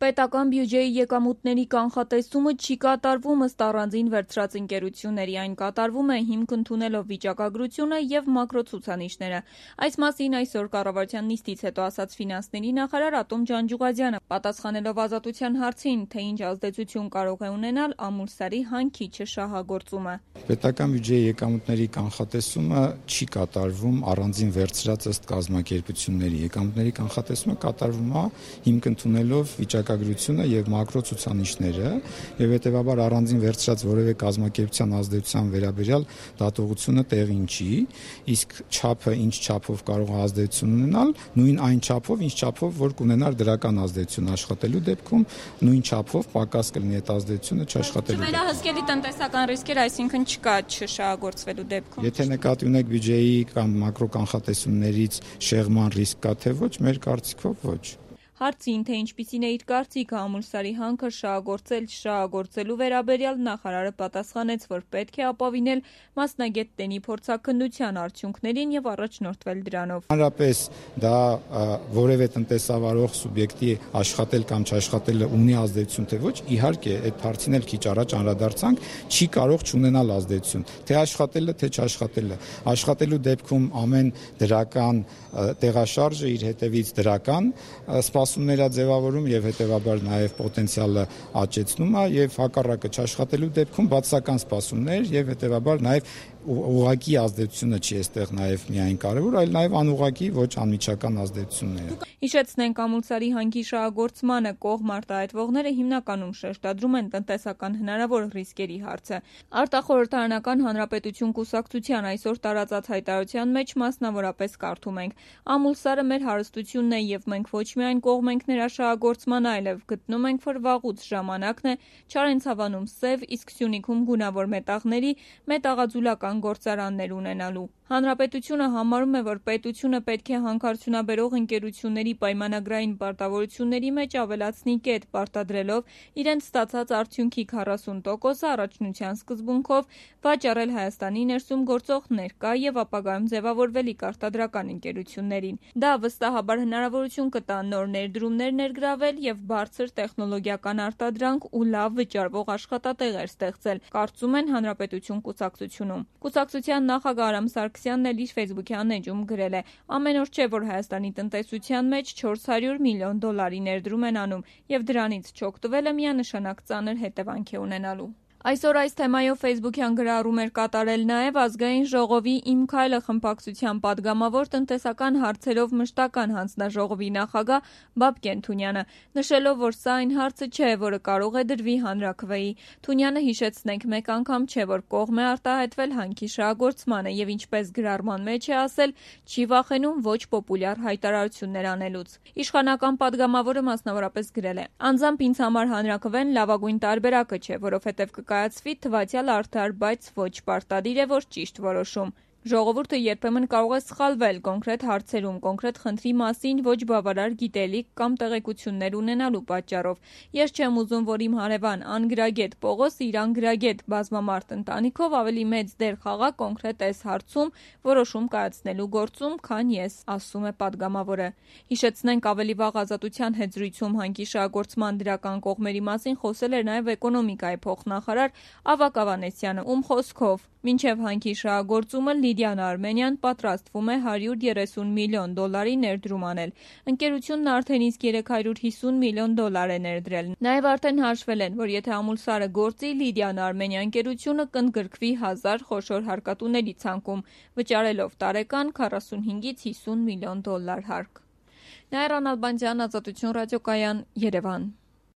Պետական բյուջեի եկամուտների կանխատեսումը չի կատարվում ըստ առանձին վերցրած ընկերությունների, այն կատարվում է հիմք ընդունելով վիճակագրությունը և մակրոցուցանիշները։ Այս մասին այսօր կառավարության նիստից հետո ասաց ֆինանսների նախարար Ատոմ Ջանջուղազյանը, պատասխանելով Ազատության հարցին, թե ինչ ազդեցություն կարող է ունենալ Ամուլսարի հանքի չշահագործումը։ Պետական բյուջեի եկամուտների կանխատեսումը չի կատարվում առանձին վերցրած ըստ կազմակերպությունների։ Եկամուտների կանխատեսումը կատարվում է հիմք ընդունելով վիճակագրությունը եւ մակրոցուցանիշները, եւ հետեւաբար առանձին վերցրած որևէ կազմակերպության ազդեցության վերաբերյալ դատողությունը տեղին չի, իսկ չափը ինչ չափով կարող է ազդեցություն ունենալ, նույն այն չափով, ինչ չափով որ կունենար դրական ազդեցություն աշխատելու դեպքում, նույն չափով պակաս կլինի այդ ազդեցությունը չաշխատելու։ Չվերահսկելի տնտեսական ռիսկեր, այսինքն չկա չշահագործվելու դեպքում։ Եթե նկատի ունեք բյուջեի կամ մակրոկանխատեսումներից շեղման ռիսկ կա թե ոչ, մեր կարծիքով ոչ։ Հարցին, թե ինչպիսին է իր կարծիքը Ամուլսարի հանքը շահագործելու վերաբերյալ, նախարարը պատասխանեց, որ պետք է ապավինել մասնագետների փորձաքննության արդյունքներին եւ առաջնորդվել դրանով։ Հանրապես դա որևէ տնտեսավարող սուբյեկտի աշխատել կամ չաշխատելը ունի ազդեցություն թե ոչ, իհարկե, այդ հարցին էլ քիչ առաջ անդրադարձանք, չի կարող չունենալ ազդեցություն, թե աշխատելը, թե չաշխատելը։ Աշխատելու դեպքում ամեն դրական տեղաշարժը իր հետևից դրական սպասումներ է ձևավորում եւ հետեւաբար նաեւ պոտենցիալը աճեցնում է եւ հակառակը չաշխատելու դեպքում բացասական սպասումներ եւ հետեւաբար նաեւ ուղղակի ազդեցությունը չի այստեղ նաեւ միայն կարեւոր, այլ նաեւ անուղղակի ոչ անմիջական ազդեցությունները։ Հիշեցնենք, Ամուլսարի հանքի շահագործմանը կողմ արտահայտվողները հիմնականում շեշտադրում են տնտեսական հնարավոր ռիսկերի հարցը։ Արտախորհրդարանական հանրապետություն կուսակցության այսօր տարածած հայտարարության մեջ մասնավորապես կարդում ենք. Ամուլսարը մեր հարստությունն է եւ մենք ոչ միայն կողմ ենք նրա շահագործման, այլև գտնում ենք, որ վաղուց ժամանակն է Չարենցավանում սև, իսկ Սյունիքում գունավոր մետաղների մետաղաձուլական գործարաններ ունենալու։ Հանրապետությունը համարում է, որ պետությունը պետք է հանքարդյունաբերող ընկերությունների պայմանագրային պարտավորությունների մեջ ավելացնի կետ, պարտադրելով իրենց ստացած արդյունքի 40%-ը առաջնության սկզբունքով վաճառել Հայաստանի ներսում գործող ներկա եւ ապագայում ձևավորվելիք արտադրական ընկերություններին։ Դա վստահաբար հնարավորություն կտա նոր ներդրումներ ներգրավել եւ բարձր տեխնոլոգիական արտադրանք ու լավ վճարվող աշխատատեղեր ստեղծել, կարծում են Հանրապետություն կուսակցությունում։ Կուսակցության նախագահ Արամ Սարգսյանն էլ իր ֆեյսբուքյան էջում գրել է. ամեն օր չէ, որ Հայաստանի տնտեսության մեջ $400 միլիոն ներդրում են անում եւ դրանից չօգտվելը միանշանակ ծանր հետևանք է ունենալու։ Այսօր այս թեմայով ֆեյսբուքյան գրառում էր կատարել նաև Ազգային ժողովի «Իմ քայլը» խմբակցության պատգամավոր տնտեսական հարցերով մշտական հանձնաժողովի նախագահ Բաբկեն Թունյանը, նշելով, որ սա այն հարցը չէ, որը կարող է դրվի հանրաքվեի։ Թունյանը, հիշեցնենք, մեկ անգամ չէ, որ կողմ է արտահայտվել հանքի շահագործմանը եւ ինչպես գրառման մեջ է ասել, չի վախենում ոչ պոպուլյար հայտարարություններ անելուց։ Իշխանական պատգամավորը մասնավորապես գրել է. անձամբ ինձ համար հանրաքվեն լավագույն տարբերակը չէ, որովհետեւ կկայացվի թվացյալ արդար, բայց ոչ պարտադիր է, որ ճիշտ որոշում։ Ժողովուրդը երբեմն կարող է սխալվել կոնկրետ հարցերում, կոնկրետ խնդրի մասին ոչ բավարար գիտելիք կամ տեղեկություններ ունենալու պատճառով։ Ես չեմ ուզում, որ իմ հարևան անգրագետ Պողոսը իր անգրագետ բազմամարդ ընտանիքով ավելի մեծ դեր խաղա կոնկրետ այս հարցում որոշում կայացնելու գործում, քան ես, ասում է պատգամավորը։ Հիշեցնենք, ավելի վաղ Ազատության հետ զրույցում հանքի շահագործման դրական կողմերի մասին խոսել էր նաև էկոնոմիկայի փոխնախարար Ավագ Ավանեսյանը, ում խոսքով մինչև հանքի շահագործումը Լիդիան Արմենյան պատրաստվում է $130 միլիոն ներդրում անել։ Ընկերությունն արդեն իսկ $350 միլիոն է ներդրել։ Նաև արդեն հաշվել են, որ եթե Ամուլսարը գործի, Լիդիան Արմենյան ընկերությունը կընդգրկվի 1000 խոշոր հարկատուների ցանկում, վճարելով տարեկան $45-ից $50 միլիոն հարկ։ Նաիրա Նալբանդյան, Ազատություն ռադիոկայան, Երևան։